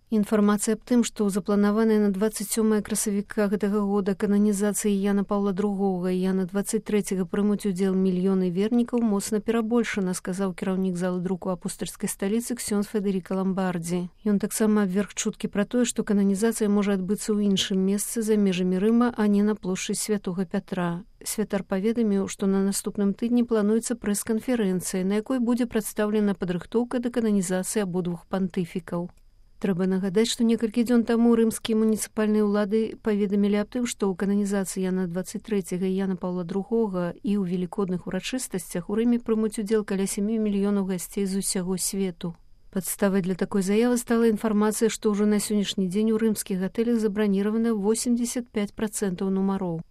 Інфармацыя аб тым, што запланаваная на 27 красавіка гэтага года кананізацыі Яна Паўла II і Яна 23 прымуць удзел мільёны вернікаў, моцна перабольшана, сказаў кіраўнік залы друку апостальскай сталіцы ксёндз Федэріка Ламбардзі. Ён таксама абверг чуткі пра тое, што кананізацыя можа адбыцца ў іншым месцы за межамі Рыма, а не на плошчы Святога Пятра. Святар паведаміў, што на наступным тыдні плануецца прэс-канферэнцыя, на якой будзе прадстаўлена падрыхтоўка да кананізацыі абодвух пантыфікаў. Трэба нагадаць, што некалькі дзён таму рымскія муніцыпальныя ўлады паведамілі аб тым, што ў кананізацыі Яна 23 і Яна Паўла II і ў велікодных урачыстасцях у Рыме прымуць удзел каля 7 мільёнаў гасцей з усяго свету. Падставай для такой заявы стала інфармацыя, што ўжо на сённяшні дзень у рымскіх гатэлях забраніравана 85% нумароў.